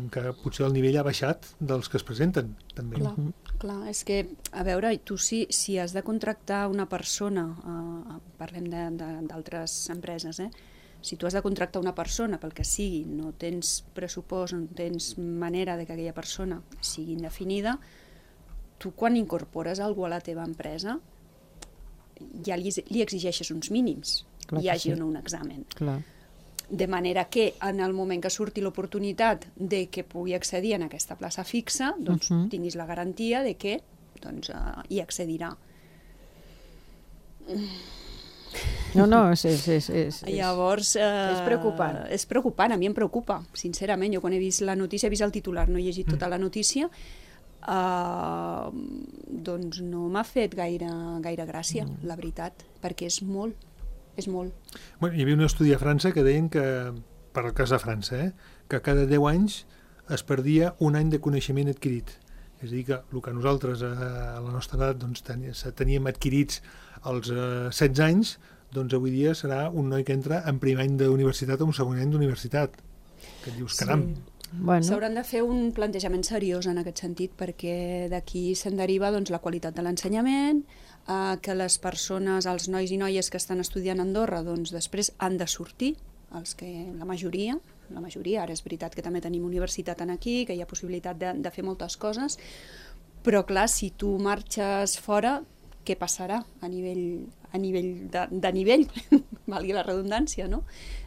que potser el nivell ha baixat dels que es presenten, també. Clar, clar, és que, a veure, tu si, si has de contractar una persona, eh, parlem d'altres empreses, eh? Si tu has de contractar una persona pel que sigui, no tens pressupost, no tens manera de que aquella persona sigui indefinida, tu quan incorpores algú a la teva empresa ja li, li exigeixes uns mínims, hi hagi sí. o no un examen. Clar. De manera que en el moment que surti l'oportunitat de que pugui accedir en aquesta plaça fixa, doncs uh -huh. tinguis la garantia de que doncs, uh, hi accedirà. No, no, és... és, és, és Llavors... Uh, és preocupant. És preocupant, a mi em preocupa, sincerament. Jo quan he vist la notícia, he vist el titular, no he llegit tota la notícia, uh, doncs no m'ha fet gaire, gaire gràcia, mm. la veritat, perquè és molt. És molt. Bueno, hi havia un estudi a França que deien que, per al cas de França, eh, que cada deu anys es perdia un any de coneixement adquirit. És a dir, que el que nosaltres a la nostra edat doncs, teníem adquirits als eh, setze anys, doncs avui dia serà un noi que entra en primer any d'universitat o un segon any d'universitat. Que et dius, caram... Sí. Bueno. S'hauran de fer un plantejament seriós en aquest sentit, perquè d'aquí se'n deriva doncs, la qualitat de l'ensenyament, eh, que les persones, els nois i noies que estan estudiant a Andorra, doncs després han de sortir, els que, la majoria, la majoria, ara és veritat que també tenim universitat aquí, que hi ha possibilitat de, de fer moltes coses, però clar, si tu marxes fora, què passarà a nivell, a nivell de, de nivell, valgui la redundància, no?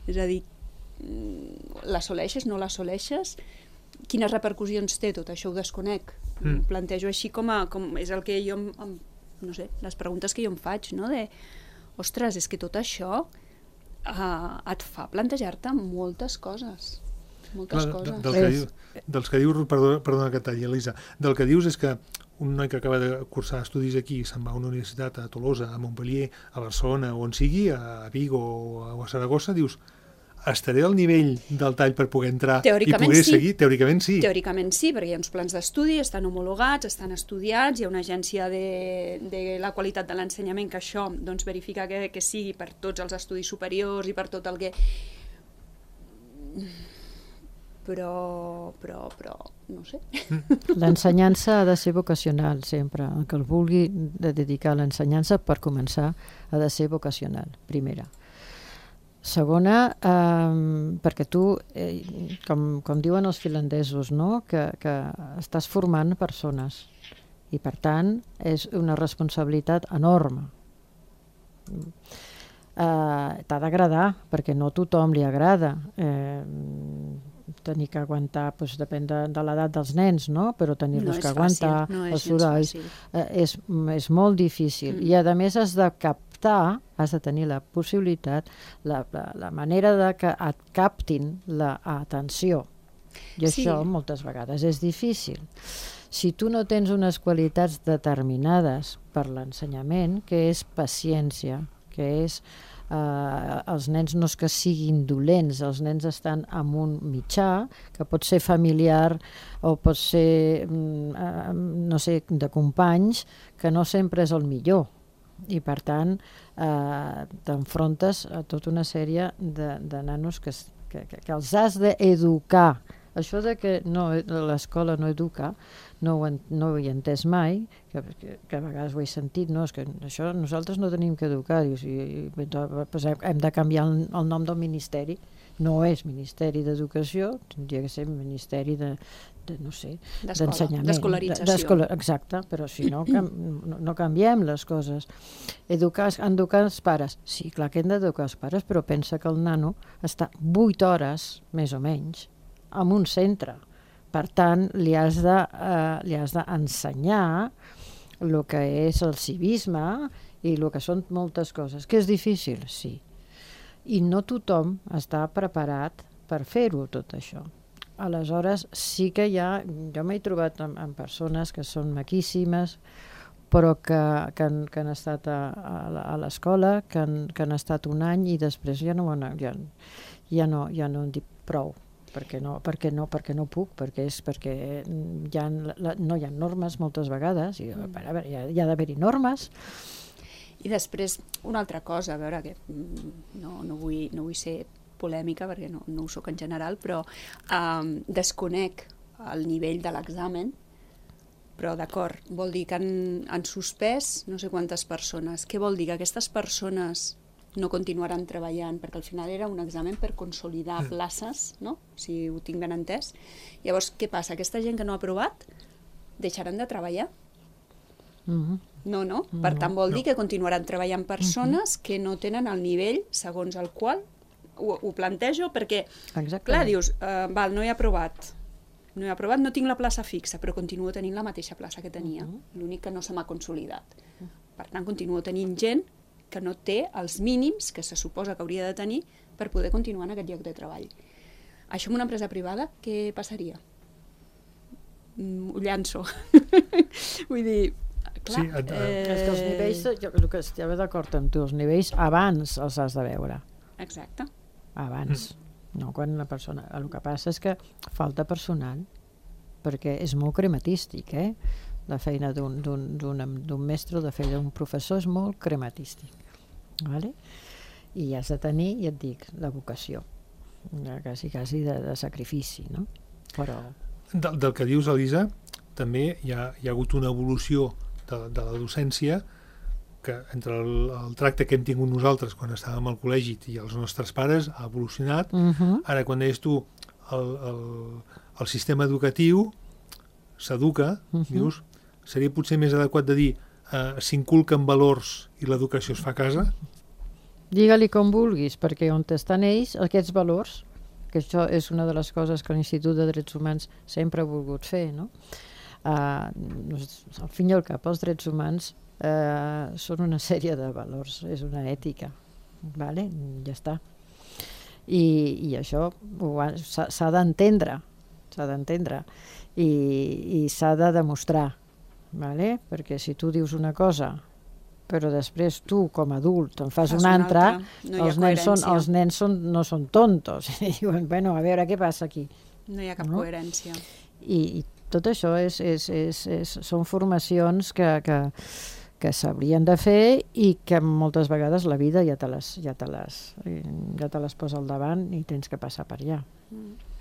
És a dir, l'assoleixes, no l'assoleixes, quines repercussions té tot això, ho desconec. Mm. Plantejo així com, a, com és el que jo, em, no sé, les preguntes que jo em faig, no? De, ostres, és que tot això uh, et fa plantejar-te moltes coses. Moltes Clar, coses. Del que, diu, dels que dius, perdona, perdona que talli, Elisa, del que dius és que un noi que acaba de cursar estudis aquí se'n va a una universitat a Tolosa, a Montpellier, a Barcelona, on sigui, a Vigo o a Saragossa, dius, estaré al nivell del tall per poder entrar i poder sí. seguir? Teòricament sí. Teòricament sí, perquè hi ha uns plans d'estudi, estan homologats, estan estudiats, hi ha una agència de, de la qualitat de l'ensenyament que això doncs, verifica que, que sigui per tots els estudis superiors i per tot el que... Però, però, però, no sé. L'ensenyança ha de ser vocacional sempre. El que el vulgui de dedicar a l'ensenyança, per començar, ha de ser vocacional, primera. Segona, eh, perquè tu, eh, com, com diuen els finlandesos, no? que, que estàs formant persones i, per tant, és una responsabilitat enorme. Eh, t'ha d'agradar, perquè no a tothom li agrada. Eh, tenir que aguantar, doncs, depèn de, de l'edat dels nens, no? Però tenir-los no que aguantar, no els sorolls, eh, és, és molt difícil. Mm. I, a més, has de captar, has de tenir la possibilitat, la, la, la manera de que et captin l'atenció. I sí. Això, moltes vegades, és difícil. Si tu no tens unes qualitats determinades per l'ensenyament, que és paciència, que és... Uh, els nens no és que siguin dolents, els nens estan en un mitjà que pot ser familiar o pot ser uh, no sé, de companys, que no sempre és el millor, i per tant uh, t'enfrontes a tota una sèrie de, de nanos que, que, que els has d'educar. Això de que no, l'escola no educa, no ho, no ho he entès mai, que, que, que a vegades ho he sentit, no, és que això nosaltres no tenim que educar, dius, i, i, doncs hem de canviar el, el nom del ministeri, no és Ministeri d'Educació, tindria que ser Ministeri de, de no sé, d'ensenyament. D'escolarització. D'escola, exacte, però si no, cam, no, no canviem les coses. Educar, educar els pares, sí, clar que hem d'educar els pares, però pensa que el nano està vuit hores, més o menys, en un centre. per tant, li has de, eh, li has d'ensenyar el que és el civisme i el que són moltes coses. Que és difícil? Sí. I no tothom està preparat per fer-ho, tot això. Aleshores, sí que hi ha... Jo m'he trobat amb, amb persones que són maquíssimes, però que, que, han, que han estat a, a l'escola, que, han, que han estat un any i després ja no, ja, ja no, ja no en dic prou. Perquè no, perquè no, perquè no puc, perquè és perquè hi ha, no hi ha normes moltes vegades, i, a veure, hi ha, hi ha d'haver-hi normes. I després, una altra cosa, a veure, que no, no, vull, no vull ser polèmica, perquè no, no ho soc en general, però um, desconec el nivell de l'examen, però d'acord, vol dir que han, han suspès no sé quantes persones. Què vol dir? Que aquestes persones no continuaran treballant, perquè al final era un examen per consolidar places, no? Si ho tinc ben entès. Llavors, què passa? Aquesta gent que no ha aprovat deixaran de treballar? Mm-hmm. No, no. Per tant, vol dir que continuaran treballant persones que no tenen el nivell segons el qual ho, ho plantejo, perquè, exactament. Clar, dius, uh, val, no he aprovat, no he aprovat, no tinc la plaça fixa, però continuo tenint la mateixa plaça que tenia. Mm-hmm. L'únic que no se m'ha consolidat. Per tant, continuo tenint gent que no té els mínims que se suposa que hauria de tenir per poder continuar en aquest lloc de treball. Això en una empresa privada, què passaria? Mm, ho llanço. Vull dir, clar... Sí, et, eh... És que els nivells, jo, el que estava d'acord amb tu, els nivells abans els has de veure. Exacte. Abans. Mm. No quan la persona... El que passa és que falta personal, perquè és molt crematístic, eh? La feina d'un mestre o de feina d'un professor és molt crematístic. Vale? I has de tenir, ja et dic, la vocació, quasi, quasi de, de sacrifici, no? Però... Del, del que dius, Elisa, també hi ha, hi ha hagut una evolució de, de la docència que entre el, el tracte que hem tingut nosaltres quan estàvem al col·legi i els nostres pares ha evolucionat. Uh-huh. Ara, quan deies tu el, el, el sistema educatiu s'educa, uh-huh. dius, seria potser més adequat de dir eh, s'inculquen valors i l'educació es fa a casa? Digue-li com vulguis, perquè on estan ells, aquests valors, que això és una de les coses que l'Institut de Drets Humans sempre ha volgut fer, no? Uh, al fin i al cap, els drets humans uh, són una sèrie de valors, és una ètica, vale? Ja està. I, i això s'ha d'entendre, s'ha d'entendre, i, i s'ha de demostrar, vale? Perquè si tu dius una cosa però després tu com a adult en fas, fas una altra, altra. No els, nens són, els nens són, no són tontos i diuen, bueno, a veure què passa aquí, no hi ha cap no? coherència. I, i tot això és, és, és, és, són formacions que, que, que s'haurien de fer i que moltes vegades la vida ja te les, ja te les, ja te les posa al davant i tens que passar per allà. mm.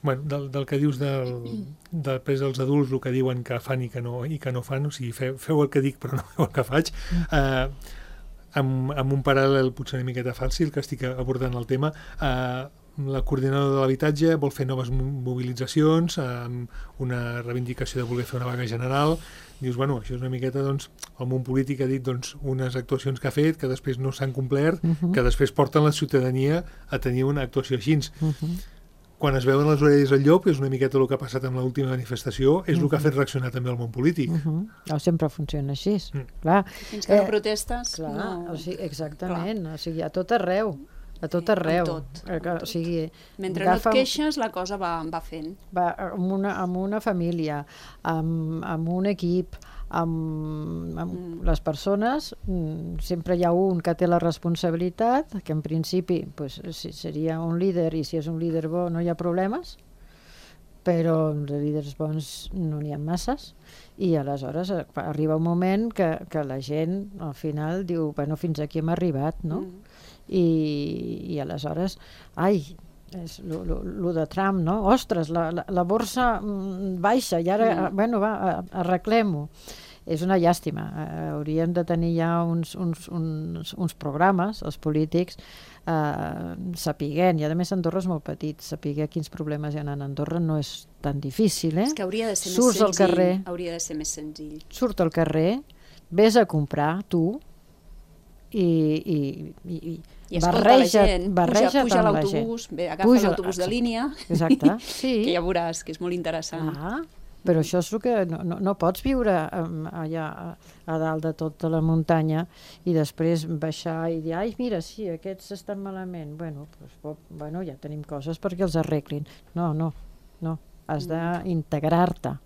Bueno, del, del que dius del, després dels adults, el que diuen que fan i que no, i que no fan, o sigui, feu, feu el que dic però no feu el que faig, eh, amb, amb un paral·lel potser una miqueta fàcil que estic abordant el tema, eh, la coordinadora de l'habitatge vol fer noves mobilitzacions, amb una reivindicació de voler fer una vaga general. Dius, bueno, això és una miqueta, doncs, el món polític ha dit, doncs, unes actuacions que ha fet, que després no s'han complert, uh-huh. que després porten la ciutadania a tenir una actuació així. Uh-huh. Quan es veuen les orelles al llop, és una miqueta el que ha passat amb l'última manifestació, és uh-huh. el que ha fet reaccionar també el món polític. Uh-huh. No, sempre funciona així, mm. clar. Fins que no eh, protestes, clar, no... O sigui, exactament, clar. O sigui, a tot arreu, a tot arreu. Sí, tot, eh, o sigui, mentre agafa, no et queixes, la cosa va, va fent. Va amb una, amb una família, amb, amb un equip, amb, amb mm. les persones, sempre hi ha un que té la responsabilitat, que en principi pues, si seria un líder, i si és un líder bo no hi ha problemes, però de líders bons no n'hi ha masses, i aleshores arriba un moment que, que la gent al final diu, bueno, fins aquí hem arribat, no? Mm. I, i aleshores, ai, és lo, lo, lo de Trump, no? Ostres, la, la, la borsa baixa i ara, mm. bueno, va, arreglem-ho. És una llàstima. Eh, hauríem de tenir ja uns, uns, uns, uns programes, els polítics, eh, sapiguent, i a més Andorra és molt petit, saber quins problemes hi ha a Andorra no és tan difícil, eh? És que hauria de ser Surts més senzill. Al carrer, hauria de ser més senzill. surt al carrer, ves a comprar tu, i, i, i, I escolta la gent, barreja puja, puja tant la l'autobús, gent. bé, agafa Puja, l'autobús de línia, exacte, sí. que ja veuràs que és molt interessant. Ah, però això és el que no, no, no pots viure um, allà a, a dalt de tota la muntanya i després baixar i dir, ai, mira, sí, aquests estan malament. Bueno, pues, bueno, ja tenim coses perquè els arreglin. No, no, no, has d'integrar-te.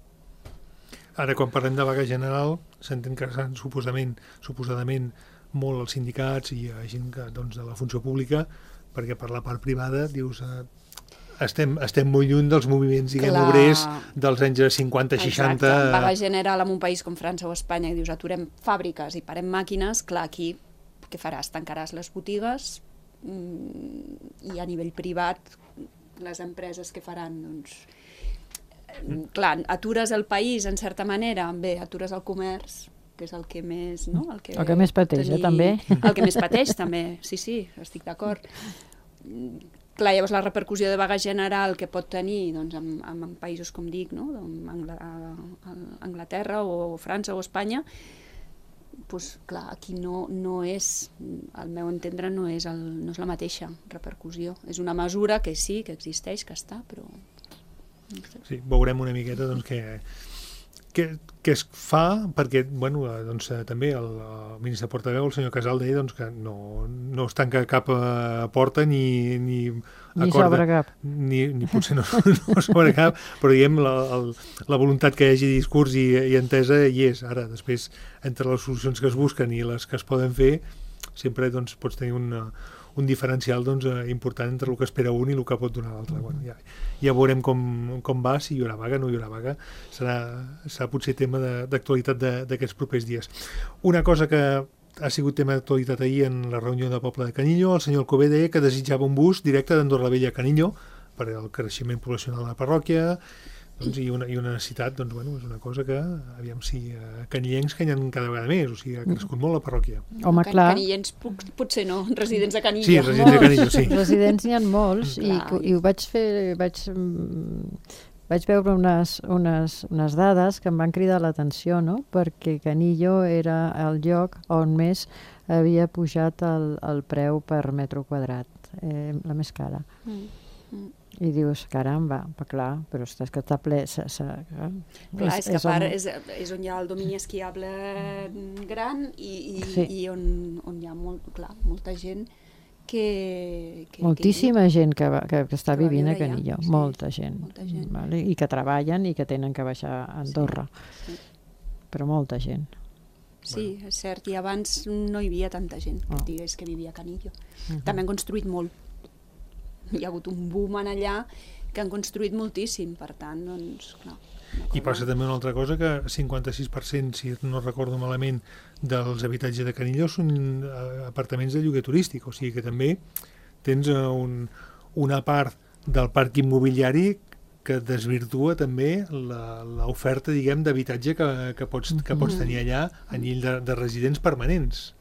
Ara, quan parlem de vaga general, s'entén que seran suposadament, suposadament molt els sindicats i gent que, doncs, de la funció pública, perquè per la part privada, dius, eh, estem, estem molt lluny dels moviments, diguem, Clar. obrers dels anys cinquanta seixanta. Exacte, vaga general en un país com França o Espanya, que dius, aturem fàbriques i parem màquines, clar, aquí què faràs? Tancaràs les botigues i a nivell privat les empreses que faran, doncs... Clar, atures el país, en certa manera, bé, atures el comerç, que és el que més... No? El, que el que més pateix, tenir... eh, també. El que més pateix, també, sí, sí, estic d'acord. Clar, llavors la repercussió de vaga general que pot tenir doncs, en, en països, com dic, no? Anglaterra o França o Espanya, doncs, clar, aquí no, no és, al meu entendre, no és, el, no és la mateixa repercussió. És una mesura que sí, que existeix, que està, però... Sí, veurem una miqueta doncs, què, què, què es fa, perquè bueno, doncs, també el, el ministre portaveu, el senyor Casal, deia doncs, que no, no es tanca cap uh, porta ni, ni, ni sobre cap. Ni, ni potser no, no sobre cap, però diguem, la, el, la voluntat que hi hagi discurs i, i entesa hi és. Ara, després, entre les solucions que es busquen i les que es poden fer, sempre doncs, pots tenir una, un diferencial doncs, important entre el que espera un i el que pot donar l'altre. Mm-hmm. Bueno, ja, ja veurem com, com va, si hi haurà vaga, no hi haurà vaga. Serà, serà potser tema d'actualitat d'aquests propers dies. Una cosa que ha sigut tema d'actualitat ahir en la reunió de Poble de Canillo, el senyor Alcover deia que desitjava un bus directe d'Andorra la Vella a Canillo per al creixement poblacional de la parròquia, doncs, i, una, i una necessitat, doncs, bueno, és una cosa que, aviam si uh, canillencs que hi ha cada vegada més, o sigui, ha crescut molt la parròquia. Home, clar. Canillencs potser no, residents de Canillo. Sí, residents de Canillo, sí. Residents n'hi ha molts, i, i ho vaig fer, vaig, vaig veure unes, unes, unes dades que em van cridar l'atenció, no? Perquè Canillo era el lloc on més havia pujat el, el preu per metre quadrat, eh, la més cara. Mm. Mm. I dius, caramba, clar, però és que està ple... S, s, eh? Clar, és, és que a part on... és, és on hi ha el domini esquiable gran i, i, sí. i on, on hi ha molt, clar, molta gent que... que Moltíssima que gent que, va, que, que està que vivint a Canillo, sí, molta gent, molta gent. Vale? I que treballen i que tenen que baixar a Andorra, sí. Sí. Però molta gent. Sí, és cert, i abans no hi havia tanta gent, oh. digués que vivia a Canillo. Uh-huh. També han construït molt. Hi ha hagut un boom en allà que han construït moltíssim, per tant, doncs, clar. I passa també una altra cosa, que cinquanta-sis per cent, si no recordo malament, dels habitatges de Canillo són apartaments de lloguer turístic, o sigui que també tens un, una part del parc immobiliari que desvirtua també l'oferta, diguem, d'habitatge que, que, pots, que pots tenir allà a nivell de, de residents permanents.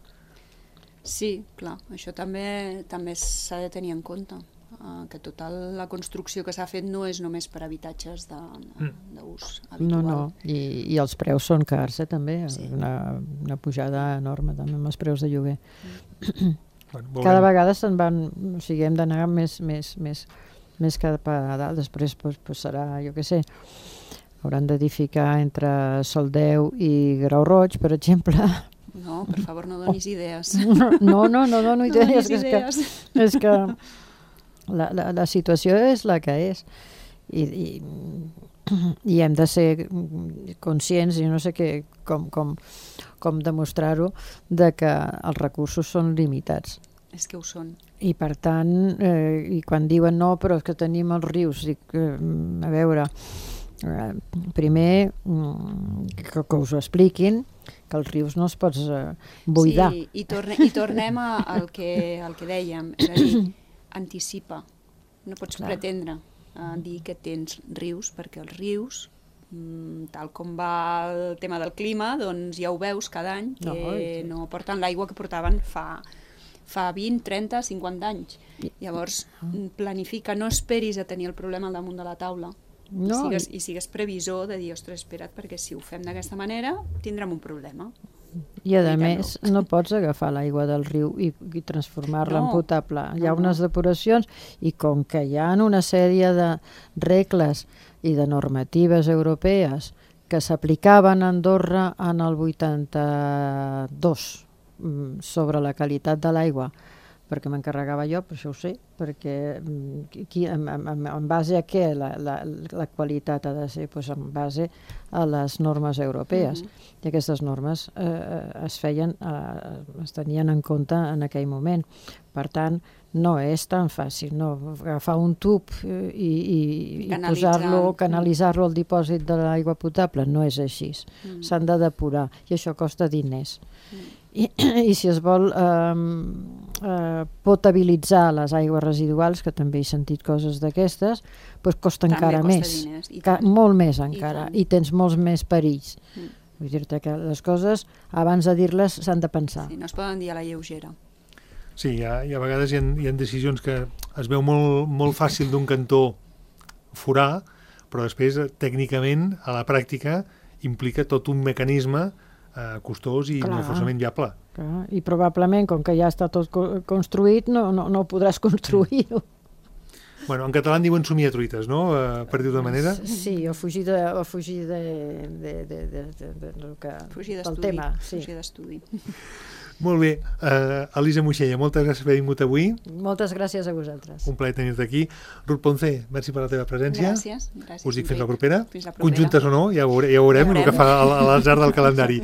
Sí, clar, això també també s'ha de tenir en compte. Uh, que tota la construcció que s'ha fet no és només per habitatges d'ús habitual. No, no, I, i els preus són cars, eh, també. Sí. Una, una pujada enorme també amb els preus de lloguer. Mm. Bueno, cada vegada se'n van, o sigui, hem d'anar més, més, més, més cap a dalt. Després pues, pues serà, jo què sé, hauran d'edificar entre Soldeu i Grau Roig, per exemple. No, per favor, no donis idees. No, no, no dono idees. No donis és idees. Que, és que La, la, la situació és la que és i, i, i hem de ser conscients i no sé què, com, com, com demostrar-ho, de que els recursos són limitats. És que ho són. I per tant, eh, i quan diuen no, però és que tenim els rius, dic, eh, a veure, eh, primer que, que us ho expliquin, que els rius no els pots eh, buidar. Sí, i, torne, i tornem a, al, que, al que dèiem, és a dir, anticipa. No pots Clar. pretendre uh, dir que tens rius, perquè els rius, mm, tal com va el tema del clima, doncs ja ho veus cada any, que no, sí. no porten l'aigua que portaven fa, fa vint, trenta, cinquanta anys. Llavors, planifica, no esperis a tenir el problema al damunt de la taula. No. I, sigues, I sigues previsor de dir, ostres, espera't, perquè si ho fem d'aquesta manera tindrem un problema. I a més no pots agafar l'aigua del riu i, i transformar-la no. en potable. Hi ha no, unes depuracions i com que hi ha una sèrie de regles i de normatives europees que s'aplicaven a Andorra en el vuitanta-dos sobre la qualitat de l'aigua, perquè m'encarregava jo, per això ho sé, perquè qui, en, en, en base a què la, la, la qualitat ha de ser? Pues en base a les normes europees. Mm-hmm. I aquestes normes eh, es feien, eh, es tenien en compte en aquell moment. Per tant, no és tan fàcil, no? Agafar un tub i, i, i posar-lo, canalitzar-lo al dipòsit de l'aigua potable, no és així. Mm. S'han de depurar i això costa diners. Mm. I, i si es vol eh, eh, potabilitzar les aigües residuals, que també he sentit coses d'aquestes, doncs costa també encara costa més, diners, ca, molt més encara, i, i tens molts més perills. Mm. Vull dir-te que les coses, abans de dir-les, s'han de pensar. Sí, no es poden dir a la lleugera. Sí, hi ha, hi ha a vegades hi ha, hi ha decisions que es veu molt, molt fàcil d'un cantó forar, però després, tècnicament, a la pràctica, implica tot un mecanisme eh, costós i clar, no forçament viable. Clar. I probablement, com que ja està tot co construït, no, no, no podràs construir-ho. Bueno, en català en diuen somiar truites, no? Uh, per dir-ho de manera. Sí, o fugir de, o fugir de, de, de, de, de, de, de que, fugir del tema. Sí. Fugir d'estudi. Molt bé. Uh, Elisa Moixella, moltes gràcies per haver vingut avui. Moltes gràcies a vosaltres. Un plaer tenir-te aquí. Ruth Ponce, merci per la teva presència. Gràcies. gràcies Us dic fins la propera. Fins la propera. Conjuntes o no, ja, veure, ja veurem, ja veurem el que fa a l'atzar del calendari.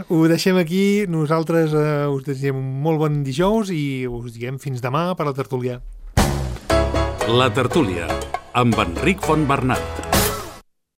Ho deixem aquí. Nosaltres uh, us desitgem un molt bon dijous i us diguem fins demà per la tertúlia. La tertúlia, amb Enric Fontbernat.